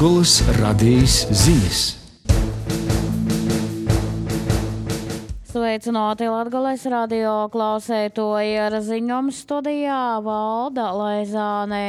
Latgoles radijas ziņas. Sveicināti Latgoles radio klausētoji, ar ziņojumu studijā Valda Laizāne.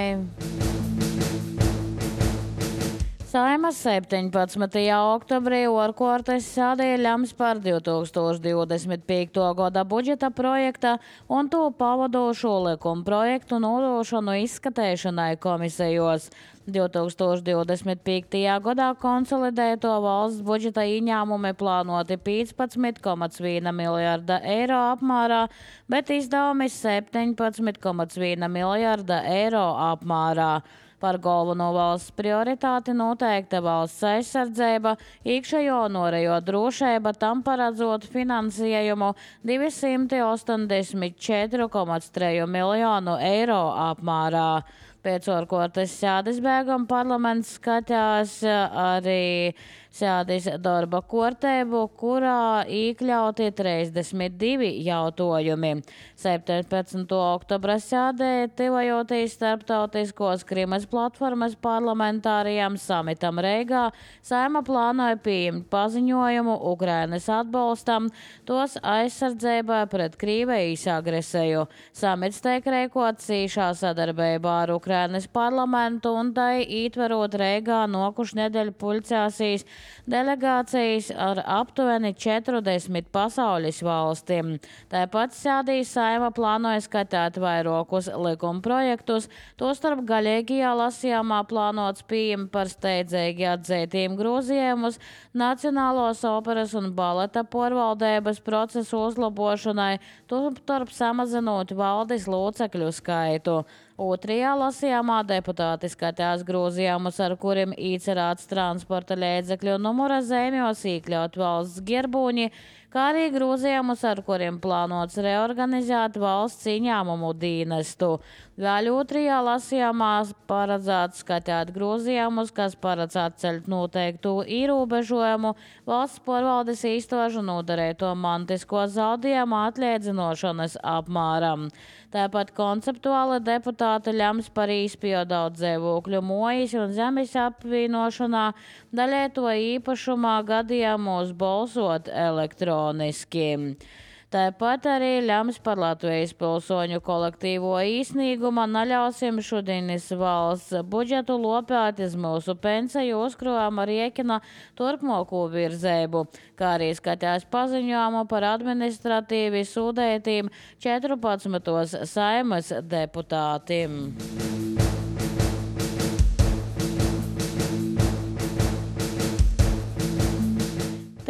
Saimas 17. oktobrī otrkārtas sēdē lems par 2025. gada budžeta projekta un to pavadošo likuma projektu nodošanu izskatēšanai komisijos. 2025. gadā konsolidēto valsts budžeta ieņēmumi plānoti 15,1 miljarda eiro apmērā, bet izdevumi 17,1 miljarda eiro apmērā. Par galveno valsts prioritāti noteikta valsts aizsardzība, iekšējo un ārējo drošība, tam paredzot finansējumu 284,3 miljonu eiro apmērā. Pēc ārkārtas sēdes beigām parlaments skatās arī sēdes darba kārtību, kurā iekļauti 32 jautājumi. 17. oktobra sēdē tuvojoties starptautiskos Krimas platformas parlamentārajam samitam Reigā, Saeima plānoja pieņemt paziņojumu Ukrainas atbalstam, tos aizsardzībai pret Krievijas agresiju. Samits tiek rīkots cīšā sadarbībā ar Ukrainas parlamentu un tai ietverot Reigā nokušu nedēļu pulcēsīs delegācijas ar aptuveni 40 pasaules valstīm. Tāpat sēdīs Saeima plānoja skatīt vairākus likuma projektus, tostarp galīgajā lasījumā plānots pieņemt par steidzīgi atzītiem grozījumus Nacionālos operas un baleta pārvaldības procesu uzlabošanai, tostarp samazinot valdes locekļu skaitu. Otrajā lasījumā deputāti skatās grozījumus, ar kuriem īcerāts transporta līdzekļu numura zīmjos iekļaut valsts gerbūņi, kā arī grozījumus, ar kuriem plānots reorganizēt valsts ieņēmumu dienestu. Vēl otrajā lasījumā paredzēts skatīt grozījumus, kas paredz atceļt noteiktu ierobežojumu valsts pārvaldes īstošu nodarēto mantisko zaudējumu atliedzinošanas apmēram. Tāpat konceptuāli deputāti lems par izpildu dzīvokļu mojas un zemes apvienošanā, daļai to īpašumā gadījumos balsot elektroniski. Tāpat arī lems par Latvijas pilsoņu kolektīvo īsnīgumu neļausim šodienas valsts budžetu lopēt iz mūsu pensiju uzkrājuma rēķina turpmāko virzību, kā arī skatās paziņojumu par administratīvi sūdētiem 14 Saimas deputātiem.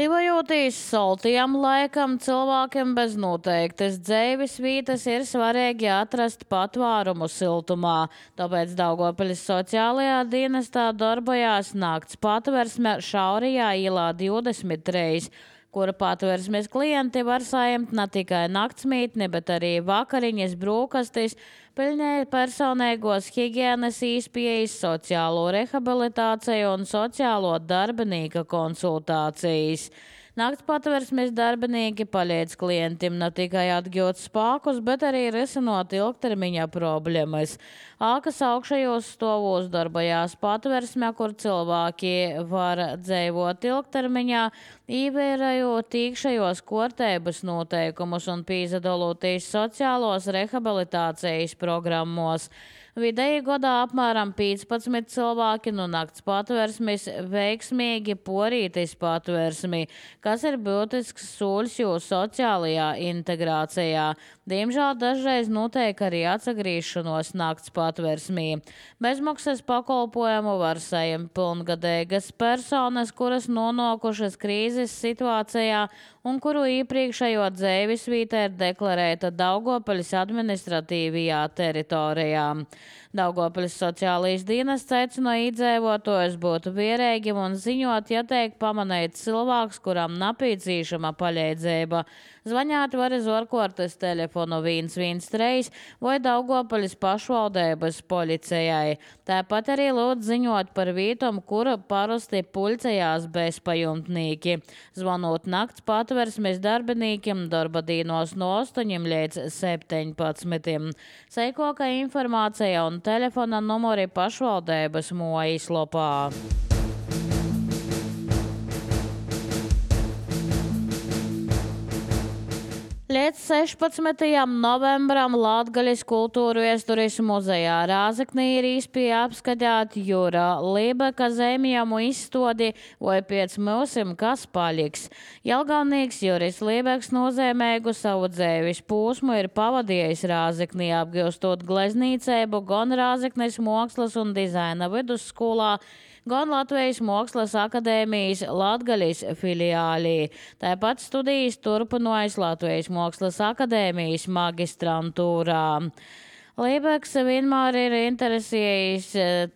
Tuvojoties saltajam laikam, cilvēkiem bez noteiktas dzīves vietas ir svarīgi atrast patvērumu siltumā. Tāpēc Daugavpils sociālajā dienestā darbojās nakts patversme Šaurijā ielā 23, kura patversmes klienti var saņemt ne tikai naktsmītni, bet arī vakariņas, brokastis, pilnīgi personīgos higienas īspējas, sociālo rehabilitāciju un sociālo darbinīka konsultācijas. Nakts patversmes darbinieki palīdz klientiem ne tikai atgūt spēkus, bet arī risinot ilgtermiņa problēmas. Ākas augšējos stāvos darbojās patversme, kur cilvēki var dzīvot ilgtermiņā, ievērojot iekšējos kārtības noteikumus un piedalīties sociālos rehabilitācijas programmos. Vidēji gadā apmēram 15 cilvēki no nakts patversmes veiksmīgi porītis patversmi, kas ir būtisks soļs jūsu sociālajā integrācijā. Diemžēl dažreiz notiek arī atsagrīšanos nakts patversmī. Bezmaksas pakalpojumu var saņemt pilngadīgas personas, kuras nonākušas krīzes situācijā un kuru iepriekšējo dzīves vieta ir deklarēta Daugavpils administratīvajā teritorijā. Daugavpils sociālais dienests aicina iedzīvotājus būt vierīgiem un ziņot, ja tiek pamanīts cilvēks, kuram nepieciešama palīdzība. Zvanīt var uz ārkārtas telefonu 113 vai Daugavpils pašvaldības policijai. Tāpat arī lūdzu ziņot par vietom, kura parasti pulcējās bezpajumtnieki. Zvanot nakts patversmes darbiniekiem darba dienos no 8 līdz 17. Seikoka informācija un telefona numuri pašvaldības mājaslapā. Līdz 16. novembram Latgalis kultūru viesturis muzejā Rāzaknī ir īspēja apskatīt Jura Libeka zemjamu izstodi vai piec mūsim kas paliks. Jelgavnīgs Juris Libeks nozīmēgu savu dzēvis pūsmu ir pavadījis Rāzaknī, apgūstot gleznīceibu gan Rāzaknis Mākslas un dizaina vidusskolā, gan Latvijas Mākslas akadēmijas Latgalis filiālī. Tāpat studijas turpinājis Latvijas Mākslas akadēmijas magistrantūrā. Libeks vienmēr ir interesējis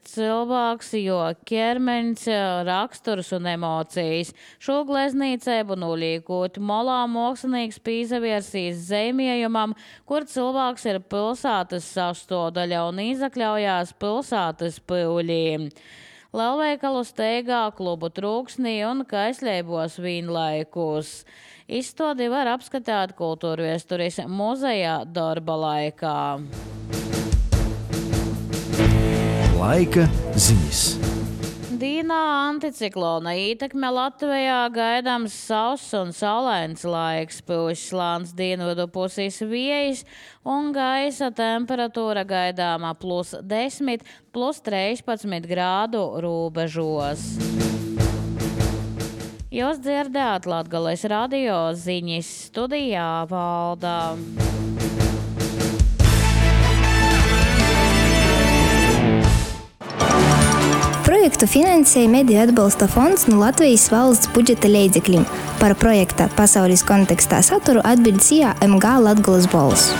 cilvēks, jo ķermenis, raksturs un emocijas. Šo gleznīceibu nolīkot molā mākslinieks pīzavirsīs zemējumam, kur cilvēks ir pilsētas sastāvdaļa un izakļaujās pilsētas pīlī. Lielveikalu steigā, klubu trūksnī un kaisļeibos vienlaikus. Izstādi var apskatīt kultūru viesturis muzejā darba laikā. Laika ziņas. Dīnā anticiklona ietekme Latvijā gaidāms sauss un saulains laiks, pūš slāns dienvidu pusīs vējs un gaisa temperatūra gaidāmā +10, +13 grādu robežos. Jūs dzirdējāt Latgales radio ziņas, studijā Valda. Projektu finansēja Mediju atbalsta fonds no Latvijas valsts budžeta līdzekļiem. Par projekta pasaules kontekstā saturu atbild CIA MG Latgales balss.